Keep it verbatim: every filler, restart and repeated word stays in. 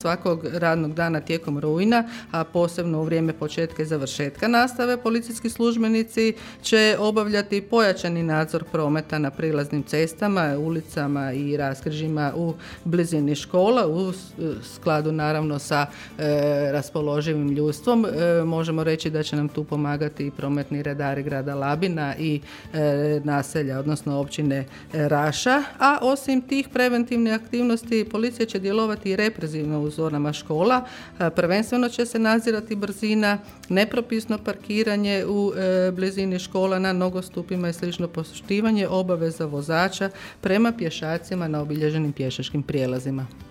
Svakog radnog dana tijekom rujna, a posebno u vrijeme početka i završetka nastave, policijski službenici će obavljati pojačani nadzor prometa na prilaznim cestama, ulicama i raskrižjima u blizini škola, u skladu naravno sa e, raspoloživim ljudstvom. E, možemo reći da će nam tu pomagati i prometni redari grada Labina i e, naselja, odnosno općine Raša, a osim tih preventivnih aktivnosti policija će djelovati i represivno u zonama škola. Prvenstveno će se nadzirati brzina, nepropisno parkiranje u e, blizini škola na nogostupima i slično, poštivanje obaveza vozača prema pješacima na obilježenim pješačkim prijelazima.